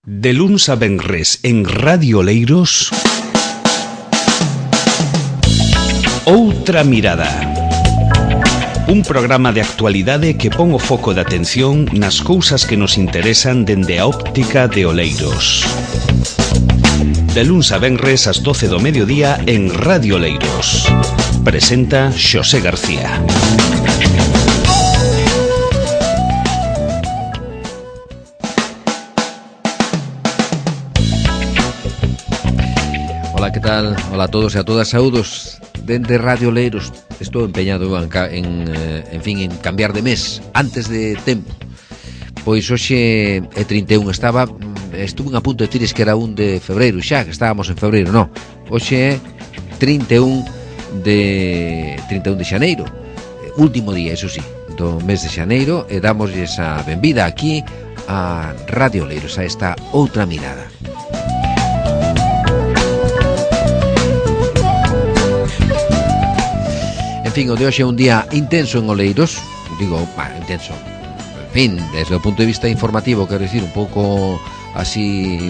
De luns a venres en Radio Oleiros, Outra Mirada. Un programa de actualidade que pon o foco de atención nas cousas que nos interesan dende a óptica de Oleiros. De luns a venres ás 12 do mediodía en Radio Oleiros. Presenta Xosé García. Ola, que tal? Ola a todos e a todas, saúdos dende Radio Oleiros. Estou empeñado en cambiar de mes antes de tempo. Pois hoxe é 31, estuve a punto de dicires que era 1 de febreiro xa, que estábamos en febreiro, non. Hoxe é 31 de xaneiro, último día, eso sí, do mes de xaneiro, e damosles a benvida aquí a Radio Oleiros, a esta Outra Mirada. En fin, o de hoxe é un día intenso en Oleiros. Digo, intenso, en fin, desde o punto de vista informativo, quero dicir, un pouco así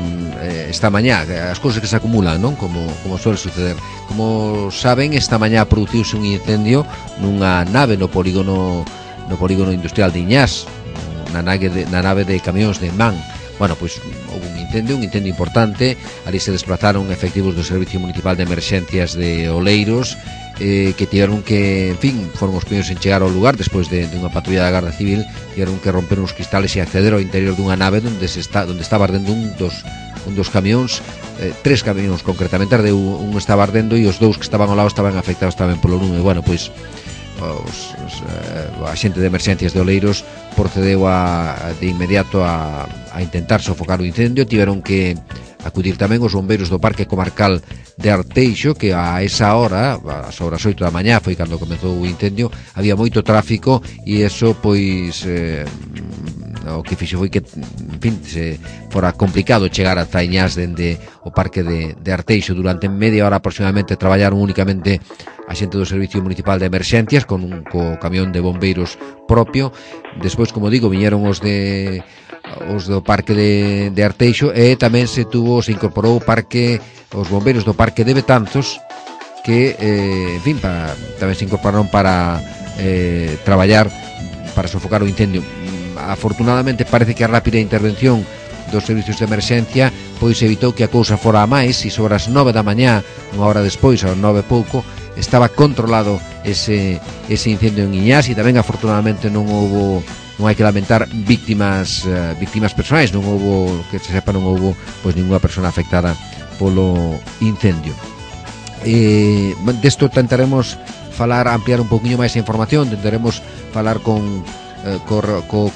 esta mañá, as cousas que se acumulan, non? Como suele suceder. Como saben, esta mañá produciuse un incendio nunha nave no polígono industrial de Iñás, na nave de camións de MAN. Bueno, pois houve un incendio importante. Ali se desplazaron efectivos do Servicio Municipal de Emerxencias de Oleiros, que tiveron que, en fin, foron os primeiros en chegar ao lugar despois de unha patrulla da Garda Civil. Tiveron que romper uns cristales e acceder ao interior dunha nave onde estaba ardendo un dos camións, 3 camións concretamente ardeu, un estaba ardendo e os 2 que estaban ao lado estaban afectados tamén polo lume. Bueno, pois a xente de emerxencias de Oleiros procedeu de inmediato a intentar sofocar o incendio. Tiveron que acudir tamén os bombeiros do Parque Comarcal de Arteixo, que a esa hora, ás horas 8 da mañá, foi cando comezou o incendio. Había moito tráfico e eso, pois, o que fixo foi que, en fin, se fora complicado chegar a Iñás dende o Parque de Arteixo. Durante media hora aproximadamente traballaron únicamente a xente do Servicio Municipal de Emerxencias co camión de bombeiros propio. Despois, como digo, viñeron os do Parque de Arteixo, e tamén se incorporou os bombeiros do Parque de Betanzos, que, en fin, tamén se incorporaron para traballar para sofocar o incendio. Afortunadamente parece que a rápida intervención dos servicios de emerxencia pois evitou que a cousa fora a máis, e sobre as 9 da mañá, unha hora despois, ás 9 e pouco, estaba controlado ese incendio en Iñás. E tamén afortunadamente non hai que lamentar víctimas persoais, non houbo, que se sepa, non houbo pois ninguna persona afectada polo incendio. Desto tentaremos ampliar un poquinho máis a información. Tentaremos falar co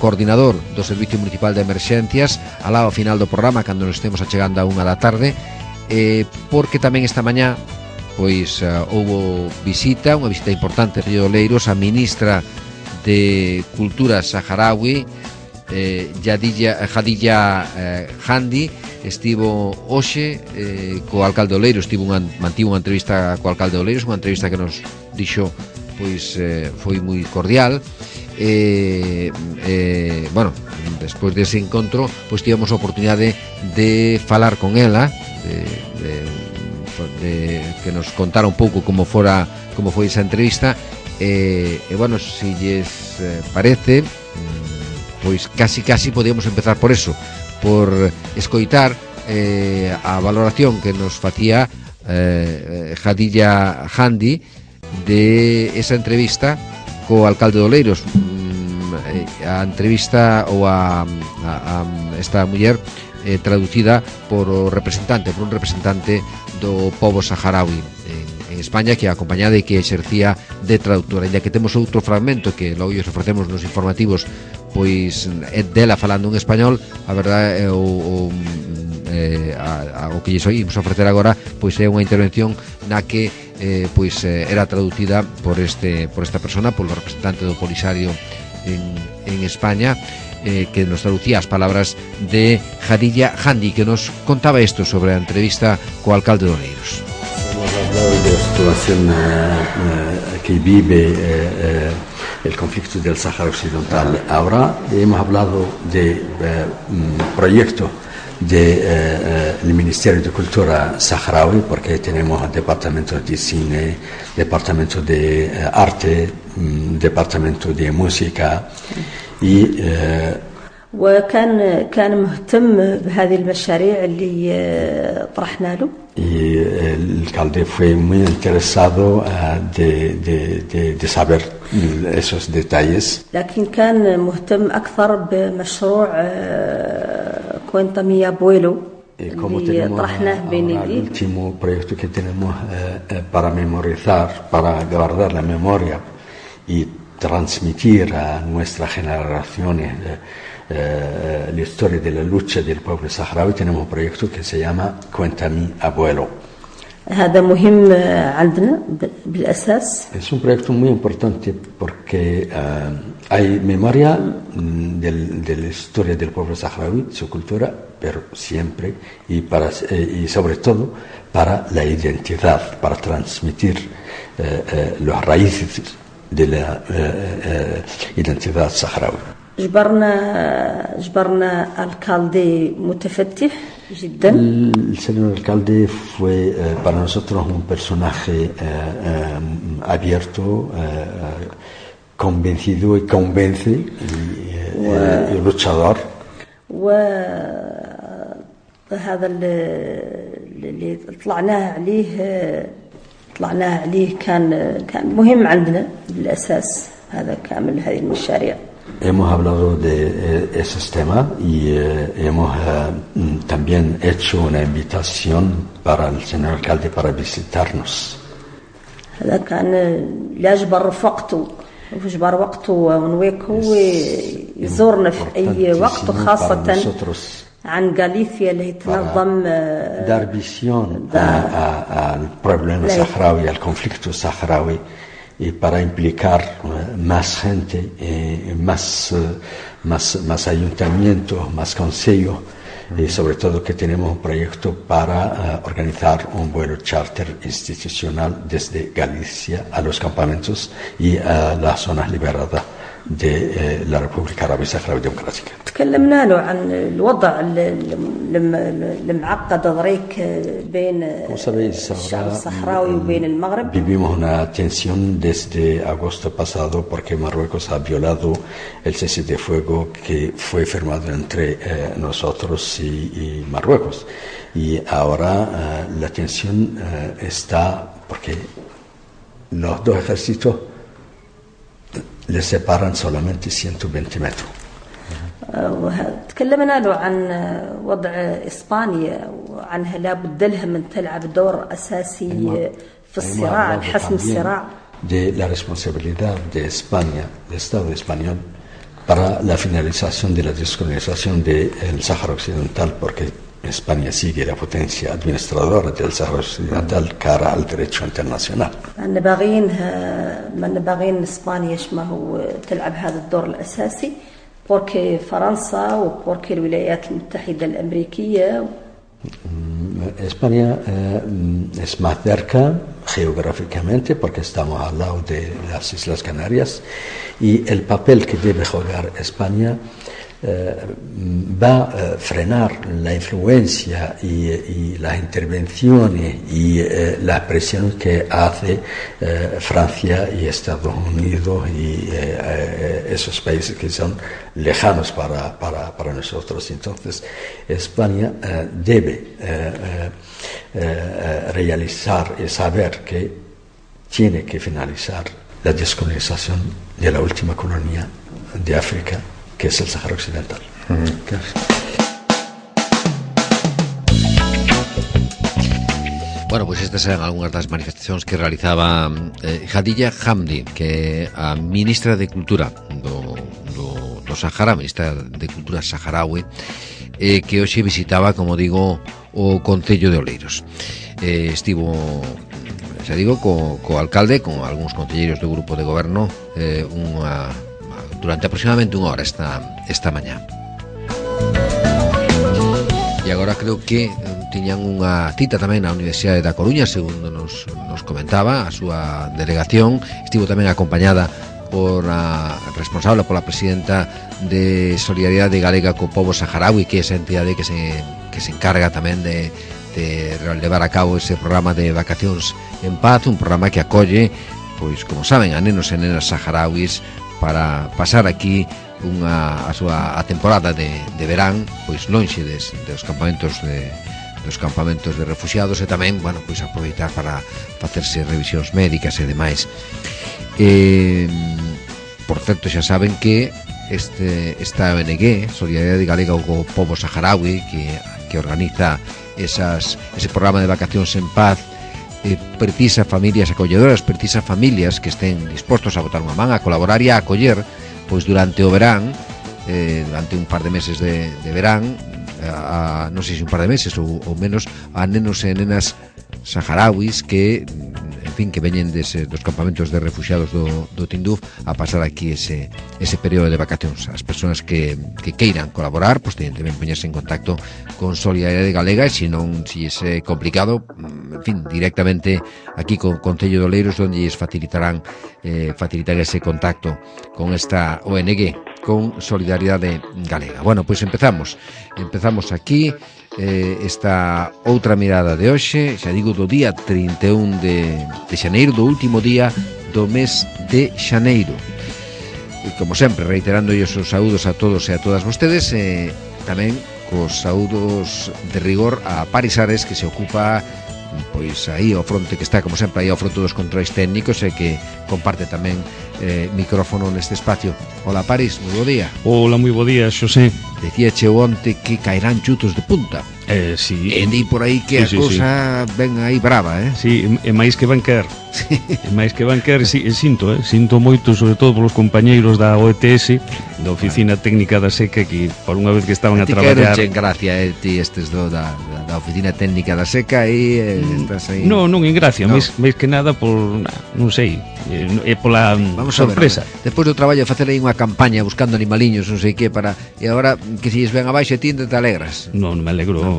coordinador do Servicio Municipal de Emerxencias ao final do programa, cando nos estemos achegando a 1 da tarde, porque tamén esta mañá pois houbo unha visita importante en Río de Oleiros. A ministra de Cultura saharaui, Khadija Handi, estivo hoxe co alcalde de Oleiros. Mantivo unha entrevista co alcalde de Oleiros, unha entrevista que nos dixo pois foi moi cordial. Bueno, despois dese encontro pois tivemos a oportunidade de falar con ela, de que nos contara un pouco como foi esa entrevista. Bueno, se lles parece, pois casi podíamos empezar por eso, por escoitar a valoración que nos facía Khadija Handi de esa entrevista co alcalde de Oleiros. A entrevista, ou a esta muller, traducida por un representante do pobo saharaui en España, que a acompañada e que exercía de traductora. Ainda que temos outro fragmento que logo os ofrecemos nos informativos, pois dela falando en español, a verdade o que lles oímos ofrecer agora pois é unha intervención na que pois era traducida por esta persona, polo representante do Polisario en España, que nos traducía as palabras de Khadija Handi, que nos contaba isto sobre a entrevista co alcalde de Oleiros. Hemos hablado de la situación que vive el conflicto del Sáhara Occidental ahora. Hemos hablado de un proyecto del Ministerio de Cultura saharaui, porque tenemos departamentos de cine, departamento de arte, departamento de música y وكان مهتم بهذه المشاريع اللي طرحنا له. Y el alcalde fue muy interesado de saber esos detalles. لكن كان مهتم أكثر بمشروع كوينتا مي أبويلو اللي طرحناه بين el último proyecto que tenemos para memorizar, para guardar la memoria y transmitir a nuestras generaciones la historia de la lucha del pueblo saharaui. Tenemos un proyecto que se llama Cuenta mi abuelo. هذا مهم عندنا بالأساس. Es un proyecto muy importante porque hay memoria de la historia del pueblo saharaui, su cultura, pero siempre y sobre todo para la identidad, para transmitir las raíces de la identidad saharaui. جبرنا alcalde متفتح جدا. El señor alcalde fue para nosotros un personaje abierto, convencido y convence y luchador. وهذا اللي طلعناه عليه كان مهم عندنا بالأساس. هذا كامل هذه المشاريع. Hemos hablado de esos temas y hemos también hecho una invitación para el señor alcalde para visitarnos. هذا كان يجبر وقته ونويكو ويزورنا في أي وقت، خاصة عن غاليثيا اللي تنظم dar visión al problema saharaui, al conflicto saharaui, y para implicar más gente, más ayuntamientos, más consejos, y sobre todo que tenemos un proyecto para organizar un vuelo charter institucional desde Galicia a los campamentos y a las zonas liberadas de la República Árabe Saharaui Democrática. تكلمنا له عن الوضع المعقد ضريك بين الشعب الصحراوي وبين المغرب. Vivimos una tensión desde agosto pasado porque Marruecos ha violado el cese de fuego que fue firmado entre nosotros y Marruecos. Y ahora la tensión está porque los dos ejércitos les separan solamente 120 metros. تكلمنا له عن وضع إسبانيا وعنها لابد لها من تلعب دور أساسي في الصراع، حسم الصراع. De la responsabilidad de España, del Estado español, para la finalización de la descolonización del Sáhara Occidental, porque España sigue la potencia administradora del Sáhara Occidental cara al derecho internacional. ما نبغين إسبانيا ما هو تلعب هذا الدور الأساسي، porque فرنسا وبوركي الولايات المتحدة الأمريكية. España es más cerca geográficamente porque estamos al lado de las Islas Canarias, y el papel que debe jugar España va a frenar la influencia y las intervenciones y la presión que hace Francia y Estados Unidos y esos países que son lejanos para nosotros. Entonces España debe realizar y saber que tiene que finalizar la descolonización de la última colonia de África, que es el Sáhara Occidental. Bueno, pues estas eran algunhas das manifestacións que realizaba Khadija Hamdi, que é a ministra de Cultura do Sahara, ministra de Cultura saharaui, que hoxe visitaba, como digo, o Concello de Oleiros. Estivo, xa digo, co alcalde, con algúns concelleiros do grupo de goberno, durante aproximadamente unha hora esta mañá. E agora creo que tiñan unha cita tamén na Universidade da Coruña, segundo nos comentaba a súa delegación. Estivo tamén acompañada por a responsable, pola presidenta de Solidaridade Galega co Pobo Saharaui, que é esa entidade que que se encarga tamén de levar a cabo ese programa de Vacacións en Paz, un programa que acolle, pois, como saben, a nenos e nenas saharauis para pasar aquí a súa temporada de verán, pois lonxe dos campamentos de refugiados, e tamén, bueno, pois aproveitar para facerse revisións médicas e demais. Por certo, xa saben que esta ONG, Solidaridade Galega co Pobo Saharaui, que organiza ese programa de Vacacións en Paz, precisa familias acolledoras, precisa familias que estén dispostos a botar unha man, a colaborar e a acoller, pois durante o verán, durante un par de meses de verán, non sei se un par de meses ou menos, a nenos e nenas saharauis que, en fin, que veñen dos campamentos de refugiados do Tinduf a pasar aquí ese período de vacacións. As persoas que queiran colaborar, pois teñen tamén poñerse en contacto con Solidaridade Galega, e se non, se é complicado, en fin, directamente aquí con Concello de Oleiros, onde lles facilitar ese contacto con esta ONG, con Solidaridade Galega. Bueno, pois empezamos aquí esta outra mirada de hoxe, xa digo, do día 31 de xaneiro, do último día do mes de xaneiro. E como sempre, reiterando os saúdos a todos e a todas vostedes, tamén cos saúdos de rigor a Paris Ares, que se ocupa, pois aí ao fronte, que está como sempre aí ao fronte dos controis técnicos, e que comparte tamén micrófono neste espacio. Hola Paris, moi bo día. Hola, moi bo día, Xosé. Decíache onte que caerán chutos de punta. Sí. E di por aí que a cousa ven aí brava, Sí, e máis que van quer. E máis que van quer, sinto moito, sobre todo polos compañeiros da OETS, da Oficina Técnica da Seca, que por unha vez que estaban a traballar... Ti que gracia, ti estes da Oficina Técnica da Seca, e estás aí... Non en gracia, máis que nada por, non sei, é pola sorpresa. Despois do traballo de facer aí unha campaña buscando animaliños, non sei que, e agora que se lles ven abaixo e ti te alegras. Non me alegro.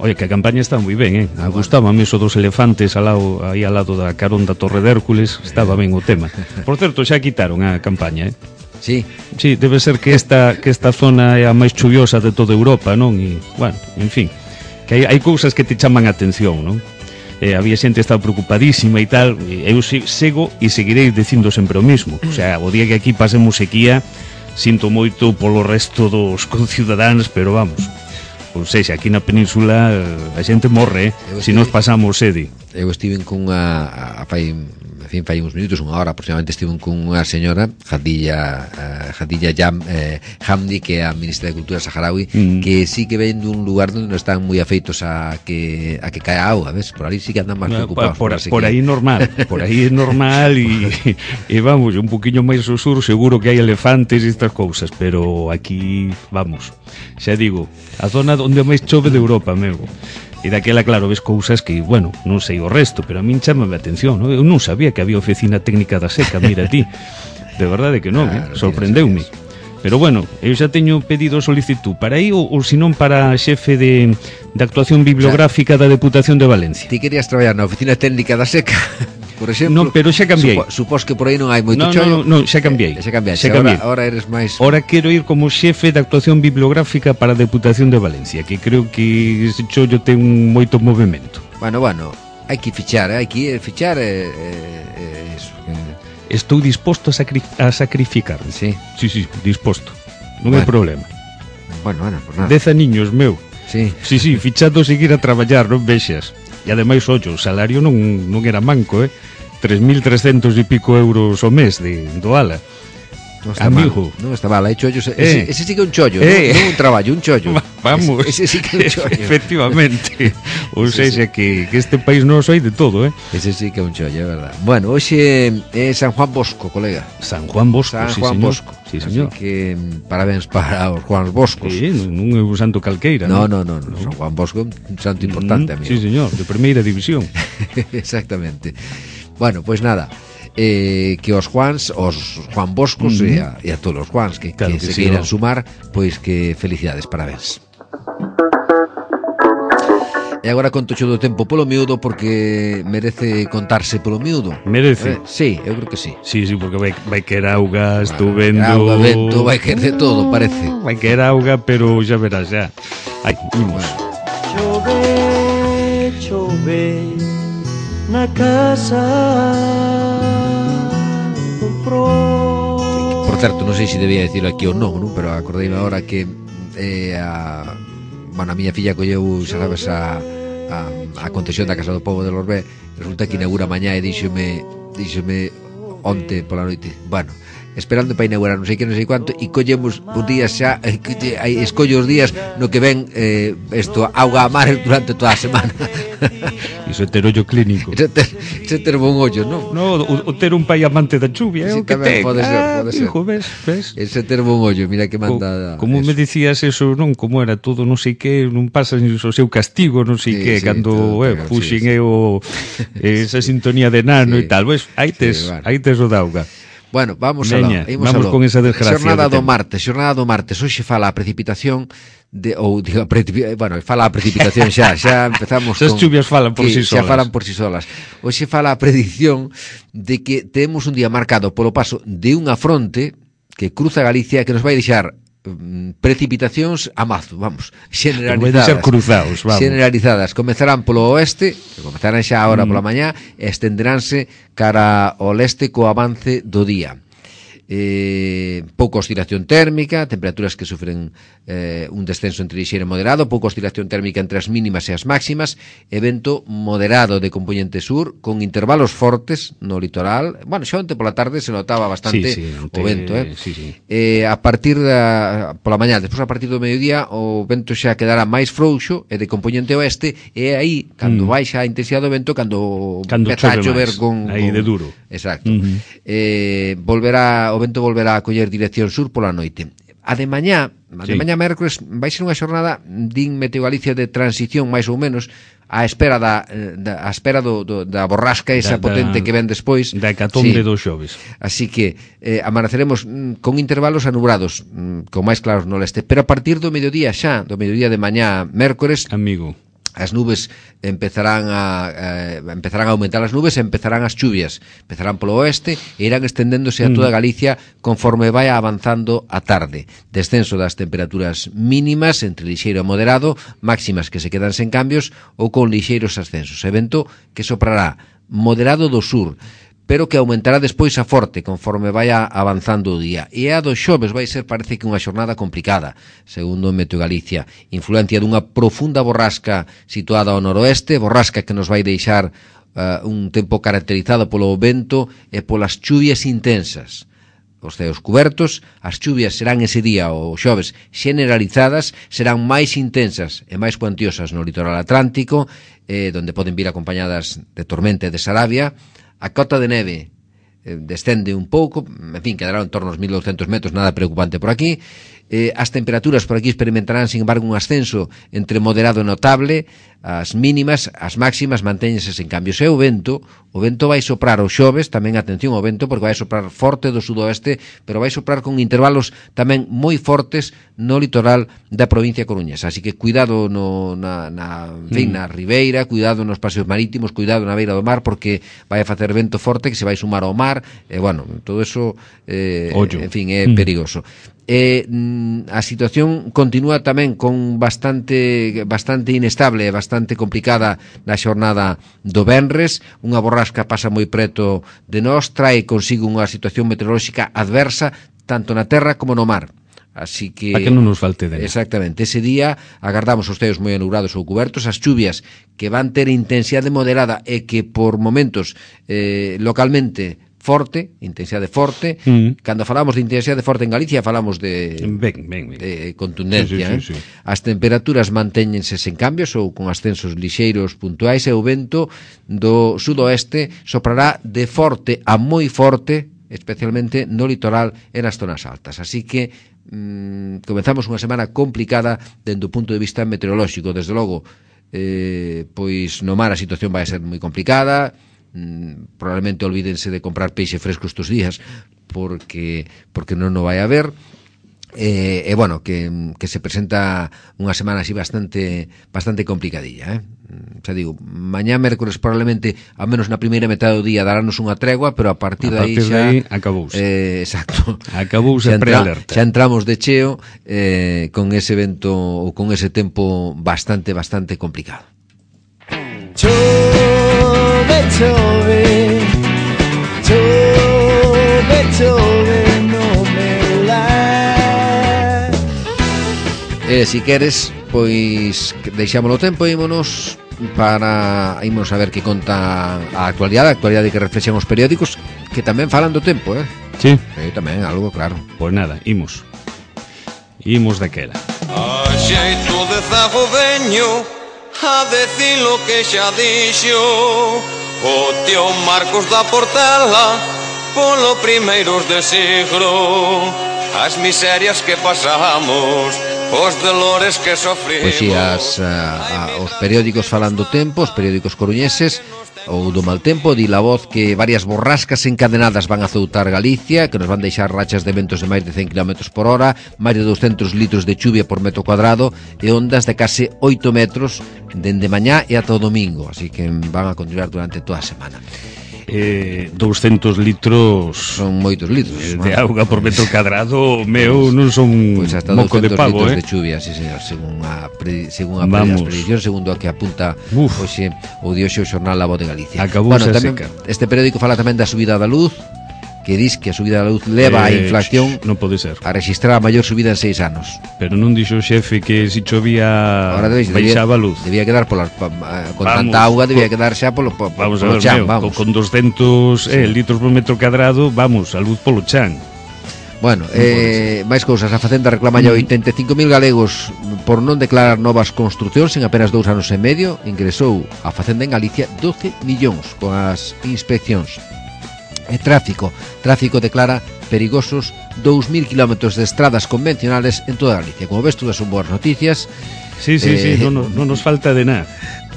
Oye, que a campaña está moi ben, Me gustaba a mí eso dos elefantes aí ao lado da carón da Torre de Hércules, estaba ben o tema. Por certo, xa quitaron a campaña, Sí, debe ser que esta zona é a máis chuviosa de toda Europa, non? E, bueno, en fin, que hai cousas que te chaman a atención, non? Había xente que estaba preocupadísima e tal, e eu sigo e seguirei dicindo sempre o mismo. O sea, o día que aquí pasemos sequía, sinto moito polo resto dos concidadáns, pero vamos, ou seja, aquí na península a xente morre, se nos pasamos sede. Eu estive con fai uns minutos, unha hora aproximadamente, estive con unha señora, Hadilla Hamdi, que é a ministra de Cultura saharaui, que sí que ven dun lugar onde non están moi afeitos a que cae a auga, ves? Por aí sí que andan máis preocupados. Por aí normal, e vamos, un poquinho máis ao sur seguro que hai elefantes e estas cousas, pero aquí, vamos, xa digo, a zona onde máis chove de Europa, meu. E daquela, claro, ves cousas que, bueno, non sei o resto, pero a min chamame a atención, non? Eu non sabía que había Oficina Técnica da Seca, mira ti. De verdade que non, sorprendeume. Pero bueno, eu xa teño pedido solicitud para aí, ou senón para xefe de actuación bibliográfica da Deputación de Valencia. Ti querías traballar na Oficina Técnica da Seca, por exemplo? Non, pero xa cambiei. Supós que por aí non hai moito chollo. Non, xa cambiei. Ahora eres máis... Ahora quero ir como xefe de actuación bibliográfica para a Deputación de Valencia, que creo que ese chollo ten moito movimento. Bueno, hai que fichar, Estou disposto a sacrificarme. Sí, disposto. Non hai problema. Bueno, por nada. 10 aniños, meu. Sí, fichado seguir a traballar, non vexas. E ademais, ollo, o salario non era manco, 3.300 e pico euros o mes do ala. Non está amigo. Non está mal, hai chollos. Ese sí que é un chollo, non un traballo, un chollo. Vamos. Ese sí que é un chollo. Efectivamente. Ou seja, que este país non hai de todo, Ese sí que é un chollo, é verdad. Bueno, hoxe é San Juan Bosco, colega. San Juan Bosco, Bosco. Sí, señor. Así que parabéns para os Juan Boscos. Sí, non é un santo calqueira, non. San Juan Bosco é un santo importante, amigo. Sí, señor, de primeira división. Exactamente. Bueno, pois nada, que os Juan Boscos e a todos os Juans que se queiran sumar, pois que felicidades, parabéns. E agora conto xo do tempo polo miúdo, porque merece contarse polo miúdo. Merece? Sí, eu creo que sí. Sí, porque vai querer auga, estou vendo... Auga, vento, vai querer de todo, parece. Vai querer auga, pero xa verás, xa. Ai, imos. Bueno. chove na casa do pro. Por certo, non sei se debía dicirlo aquí ou non, pero acordeime agora que a miña filla colleu, xa sabes, a concesión da Casa do Pobo de Lorbé. Resulta que inaugura mañá e díxome onte pola noite, bueno, esperando para inaugurar non sei que, non sei quanto, e collemos os días xa, escollo os días no que ven isto, auga a mar durante toda a semana. Iso é ter ollo clínico. Iso ter bon ollo, non? No, o ter un pai amante da chuvia, sí, o que ten. Pode ser. Hijo, ves? Ese ter bon ollo, mira que manda. Como me dicías eso, non? Como era todo, non sei que, non pasa o seu castigo, non sei que, cando puxen esa sintonía de nano e tal, ves, aí tes o dauga. Bueno, vamos con esa desgracia. Xornada do martes. Hoxe fala a precipitación fala a precipitación xa empezamos con... As chuvias falan por si solas. Xa falan por si solas. Hoxe fala a predicción de que temos un día marcado polo paso de unha fronte que cruza Galicia que nos vai deixar precipitacións a mazo, vamos, generalizadas. Comezarán polo oeste, que comezarán xa agora pola mañá, e estenderánse cara ao leste co avance do día. Pouca oscilación térmica, temperaturas que sufren un descenso entre lixeiro e moderado, pouca oscilación térmica entre as mínimas e as máximas, e vento moderado de componente sur, con intervalos fortes no litoral. Bueno, xa onte pola tarde se notaba bastante o vento, a partir pola mañá, despois a partir do mediodía o vento xa quedará máis frouxo e de componente oeste, e aí, cando baixa a intensidade do vento, cando empeza a chover aí de duro. Exacto. O vento volverá a coller dirección sur pola noite. A de mañá mércores vai ser unha xornada din Meteo Galicia de transición máis ou menos á espera da borrasca esa potente que ven despois da hecatombe dos xoves. Así que amaneceremos con intervalos anubrados, con máis claros no leste, pero a partir do mediodía de mañá mércores, amigo, as nubes empezarán a aumentar as nubes e empezarán as chuvias. Empezarán polo oeste e irán estendéndose a toda Galicia conforme vai avanzando a tarde. Descenso das temperaturas mínimas entre lixeiro e moderado, máximas que se quedan sen cambios ou con lixeiros ascensos. Evento que soprará moderado do sur, pero que aumentará despois a forte conforme vaya avanzando o día. E a do xoves vai ser, parece que unha xornada complicada, segundo Meteo Galicia. Influencia dunha profunda borrasca situada ao noroeste, borrasca que nos vai deixar un tempo caracterizado polo vento e polas chuvias intensas. Os ceos cubertos, as chuvias serán ese día, o xoves, generalizadas, serán máis intensas e máis cuantiosas no litoral atlántico, donde poden vir acompañadas de tormenta e de sarabia. A cota de neve descende un pouco, en fin, quedará en torno aos 1200 metros, nada preocupante por aquí. As temperaturas por aquí experimentarán, sin embargo, un ascenso entre moderado e notable. As mínimas, as máximas mantéñense sen cambios. E o vento vai soprar o xoves, tamén atención ao vento, porque vai soprar forte do sudoeste, pero vai soprar con intervalos tamén moi fortes no litoral da provincia coruñesa. Así que cuidado na ribeira, cuidado nos paseos marítimos, cuidado na beira do mar, porque vai a facer vento forte que se vai sumar ao mar, e todo eso en fin, é perigoso. A situación continúa tamén con bastante inestable, bastante complicada na xornada do venres. Unha borrasca pasa moi preto de nós, trae consigo unha situación meteorolóxica adversa tanto na terra como no mar. Así que para que non nos falte de. Exactamente, ese día agardamos os ceos moi anubrados ou cubertos, as chuvias que van ter intensidade moderada e que por momentos localmente forte, intensidade forte. Cando falamos de intensidade forte en Galicia falamos de contundencia. Sí. As temperaturas mantéñense sen cambios ou con ascensos lixeiros puntuais, e o vento do sudoeste soprará de forte a moi forte, especialmente no litoral e nas zonas altas. Así que comenzamos unha semana complicada dende o punto de vista meteorolóxico. Desde logo, pois no mar a situación vai ser moi complicada. Probablemente olvídense de comprar peixe fresco estes días porque non o vai haber. bueno, que se presenta unha semana así bastante complicadilla, xa digo, mañá mércores probablemente, ao menos na primeira metade do día darános unha tregua, pero a partir de aí xa acabouse. Exacto. Acabouse a prealerta. Xa entramos de cheo con ese vento ou con ese tempo bastante complicado. Chove, chove, chove, chove, no meu lar. Si queres, pois deixámoslo tempo e ímonos a ver que conta a actualidade que reflexan os periódicos, que tamén falan do tempo, Sí. Tamén algo, claro. Pois nada, imos daquela. A xeito de zago veño a decir lo que xa dixo o tío Marcos da Portela polo primeiros de siglo, as miserias que pasamos, os dolores que sofrimos. Pois si, os periódicos falan do tempo, os periódicos coruñeses, ou do mal tempo, di La Voz que varias borrascas encadenadas van a azoutar Galicia, que nos van deixar rachas de ventos de máis de 100 km por hora, máis de 200 litros de chuvia por metro cuadrado e ondas de case 8 metros dende mañá e ata o domingo, así que van a continuar durante toda a semana. 200 litros son moitos litros de auga por metro cadrado, meu, non son pois hasta moco de pavo, de chuvia, sí, señor, según as prediccións, segundo a que apunta hoxe o dioxo xornal La Voz de Galicia. Acabouse tamén, este periódico fala tamén da subida da luz, que dis que a subida da luz leva a inflación non pode ser a registrar a maior subida en 6 anos. Pero non dixo o xefe que se chovía baixaba a luz. Debía quedar con tanta auga, debía quedar xa polo chan, vamos. Con 200 litros por metro cadrado, vamos, a luz polo chan. Bueno, máis cousas. A Facenda reclama ya 85.000 galegos por non declarar novas construcións en apenas 2 anos e medio. Ingresou a Facenda en Galicia 12 millóns con as inspeccións. Tráfico declara perigosos 2.000 kilómetros de estradas convencionales en toda Galicia. Como ves, todas son boas noticias. Sí, non nos falta de nada.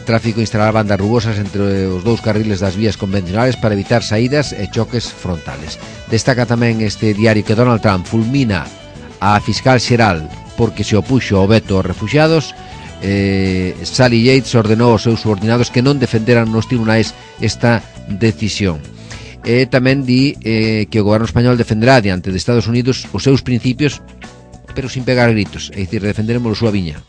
Tráfico instalará bandas rugosas entre os dous carriles das vías convencionales para evitar saídas e choques frontales. Destaca tamén este diario que Donald Trump fulmina a fiscal xeral porque se opuxo ao veto aos refuxiados. Sally Yates ordenou aos seus subordinados que non defenderan nos tribunais esta decisión. Tamén di que o goberno español defenderá diante de Estados Unidos os seus principios, pero sin pegar gritos, é dicir, defenderemos a súa viña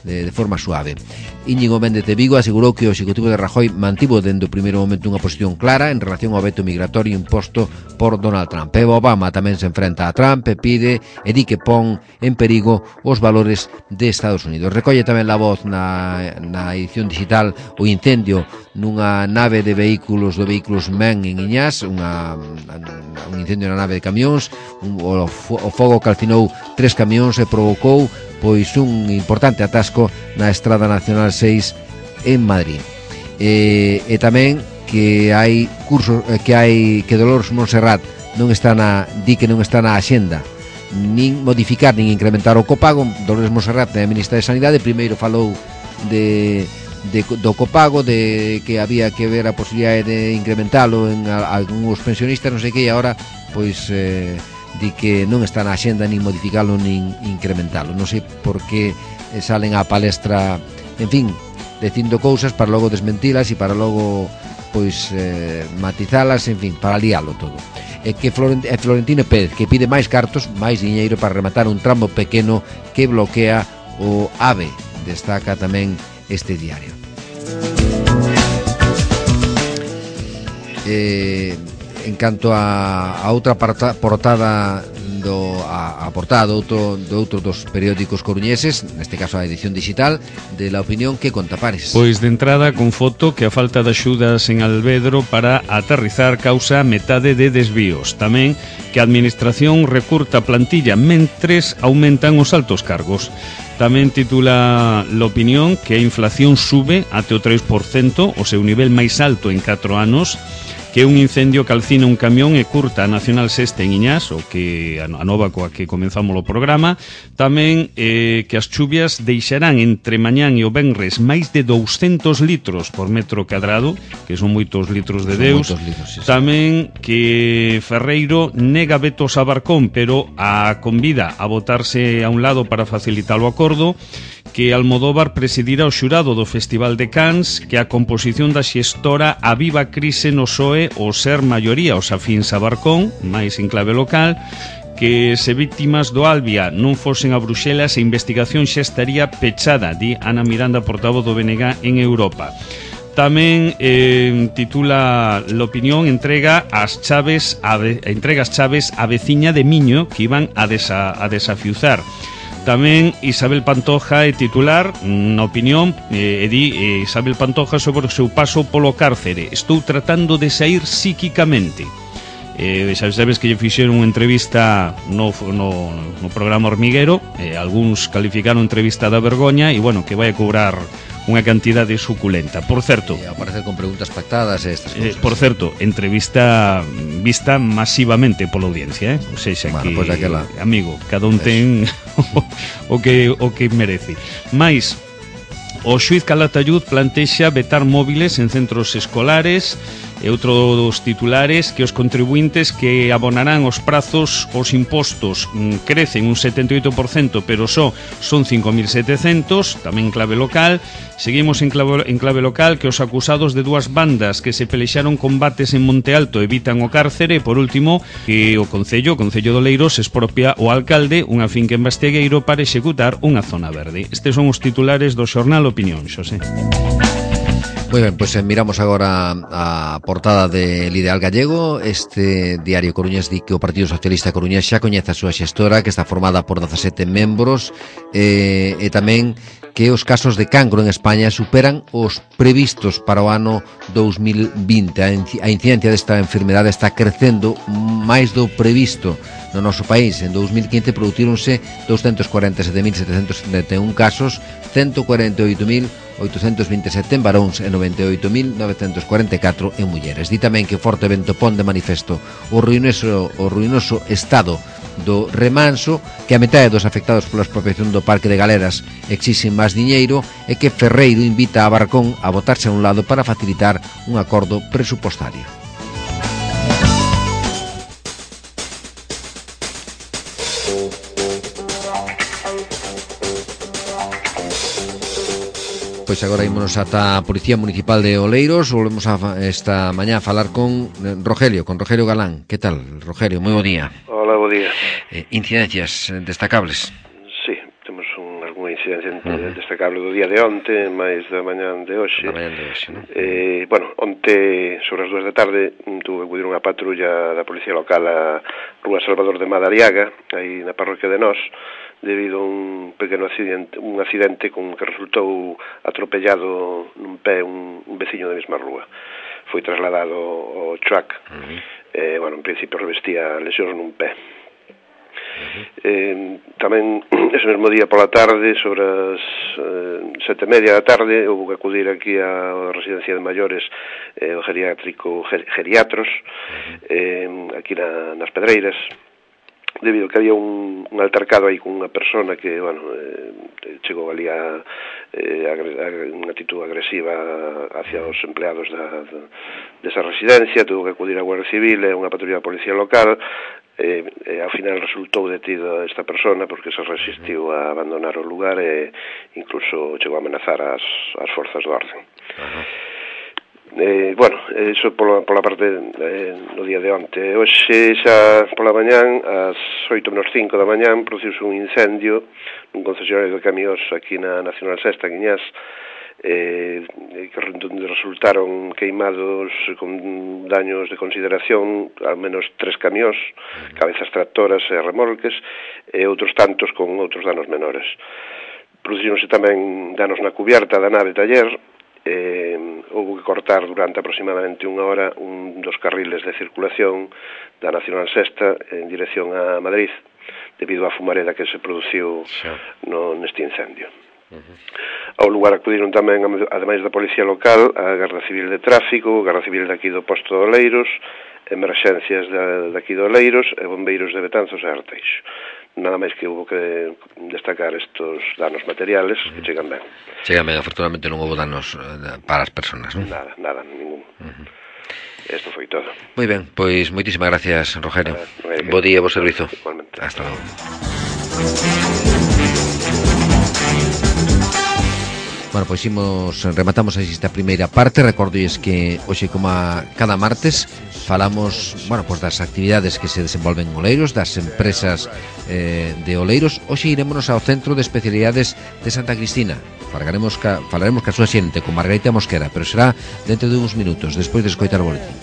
de forma suave. Íñigo Méndez de Vigo asegurou que o executivo de Rajoy mantivo dende o primeiro momento unha posición clara en relación ao veto migratorio imposto por Donald Trump. Eva Obama tamén se enfrenta a Trump e pide e di que pon en perigo os valores de Estados Unidos. Recolle tamén La Voz na edición digital o incendio nunha nave de vehículos MEN en Iñás, un incendio na nave de camións. O fogo calcinou 3 camións e provocou pois un importante atasco na Estrada Nacional 6 en Madrid. E tamén que hai cursos que Dolores Monserrat di que non está na axenda nin modificar nin incrementar o copago. Dolores Monserrat, a ministra de Sanidade, primeiro falou do copago, de que había que ver a posibilidade de incrementalo en algúns pensionistas, non sei que, e agora pois di que non está na axenda nin modificalo nin incrementalo. Non sei por que salen á palestra, en fin, dicindo cousas para logo desmentilas e para logo pois matizalas, en fin, para lialo todo. E que Florentino Pérez, que pide máis cartos, máis diñeiro para rematar un tramo pequeno que bloquea o AVE. Destaca tamén este diario. En canto a outra portada a portada do outro dos periódicos coruñeses, neste caso a edición digital de La Opinión, que conta, Pares? Pois de entrada con foto que a falta de axudas en Alvedro para aterrizar causa metade de desvíos. Tamén que a administración recurta plantilla mentres aumentan os altos cargos. Tamén titula La Opinión que a inflación sube até o 3%, o seu nivel máis alto en 4 anos. que un incendio calcina un camión e curta a Nacional 6 en Iñás, o que a nova coa que comenzamos o programa. Tamén que as chuvias deixarán entre mañán e o venres máis de 200 litros por metro cadrado, que son moitos litros de Deus. Sí. Tamén que Ferreiro nega vetos a Barcón, pero a convida a votarse a un lado para facilitar o acordo, que Almodóvar presidirá o xurado do Festival de Cannes, que a composición da xestora aviva a crise no PSOE o ser maioría os afíns a Barcón, máis en clave local, que se víctimas do Albia non fosen a Bruxelas, a investigación xa estaría pechada, di Ana Miranda, portavoz do BNG en Europa. Tamén titula l'opinión entrega as chaves a veciña de Miño que iban a desafiuzar. Tamén Isabel Pantoja é titular na opinión e di Isabel Pantoja sobre o seu paso polo cárcere: estou tratando de sair psíquicamente. Sabes que lle fixeron unha entrevista no programa Hormiguero, algúns calificaron entrevista da vergoña e bueno, que vai a cobrar unha cantidade suculenta. Por certo, aparecer con preguntas pactadas e estas cousas. Por certo, entrevista vista masivamente pola audiencia, ou seja, bueno, que, pues aquela... amigo, cada un ten o que merece. Mais o xuiz Calatayud plantexa vetar móviles en centros escolares. E outro dos titulares, que os contribuintes que abonarán os prazos os impostos crecen un 78%, pero só son 5.700, tamén en clave local. Seguimos en clave local, que os acusados de dúas bandas que se pelexaron combates en Monte Alto evitan o cárcere. E por último, que o Concello de Oleiros expropia o alcalde unha finca en Bastegueiro para executar unha zona verde. Estes son os titulares do xornal Opinión, Xosé. Moi ben, pois miramos agora a portada del Ideal Gallego. Este diario coruñés di que o Partido Socialista coruñés xa coñece a súa xestora, que está formada por 17 membros, e tamén que os casos de cancro en España superan os previstos para o ano 2020. A incidencia desta enfermedade está crecendo máis do previsto no noso país. En 2015 producironse 247.771 casos, 148.827 en varóns e 98.944 en mulleres. Di tamén que forte vento pon de manifesto o ruinoso estado do remanso, que a metade dos afectados pola expropiación do Parque de Galeras exixen máis diñeiro, e que Ferreiro invita a Barcón a botarse a un lado para facilitar un acordo presupostario. Pois agora ímonos ata a Policía Municipal de Oleiros. Volvemos esta mañá a falar con Rogelio Galán. Que tal, Rogelio? Moi bo día. Hola, bo día. Incidencias destacables? Sí, temos algunha incidencia destacable do día de onte, máis da mañán de hoxe. Non? Bueno, onte, sobre as 2 da tarde, tuve que acudir unha patrulla da Policía Local a Rúa Salvador de Madariaga, aí na parroquia de Nós, debido a un pequeno accidente con que resultou atropellado nun pé un veciño da mesma rúa. Foi trasladado ao CHUAC, bueno, en principio revestía lesións nun pé. Tamén ese mesmo día pola tarde, sobre as 7:30 da tarde, houve que acudir aquí á residencia de maiores, o geriátrico Geriatros, aquí nas Pedreiras, debido a que había un altercado aí con unha persona que, bueno, chegou ali a unha actitud agresiva hacia os empleados desa residencia. Tuvo que acudir a Guardia Civil e unha patrulla da Policía Local, e ao final resultou detida esta persona porque se resistiu a abandonar o lugar e incluso chegou a amenazar as forzas do orden. Bueno, iso pola parte no día de onte. Hoxe xa pola mañán, ás 8:05 da mañán, produciuse un incendio nun concesionario de camións aquí na Nacional 6 en Iñás, que resultaron queimados con daños de consideración al menos 3 camións, cabezas tractoras e remolques, e outros tantos con outros danos menores. Producironse tamén danos na cubierta da nave taller. Houve que cortar durante aproximadamente unha hora un dos carriles de circulación da Nacional 6 en dirección a Madrid, debido á fumareda que se produciu neste incendio. Ao lugar acudiron tamén, ademais da Policía Local, a Garda Civil de Tráfico, a Garda Civil de aquí do Posto de Oleiros, Emerxencias de aquí de Oleiros e Bombeiros de Betanzos e Arteixo. Nada máis que hubo que destacar estos danos materiales que chegan ben. Chegan ben, afortunadamente non houve danos para as persoas, non? Nada, ningún. Isto foi todo. Moi ben, pois moitísimas gracias, Rogelio. Bo día, bo servizo. Igualmente. Hasta logo. Bueno, pois rematamos esta primeira parte. Recordolles que hoxe, como cada martes, falamos, bueno, pois das actividades que se desenvolven en Oleiros, das empresas de Oleiros. Hoxe irémonos ao Centro de Especialidades de Santa Cristina. Falaremos ca súa xente, con Margarita Mosquera, pero será dentro de uns minutos, despois de escoitar o boletín.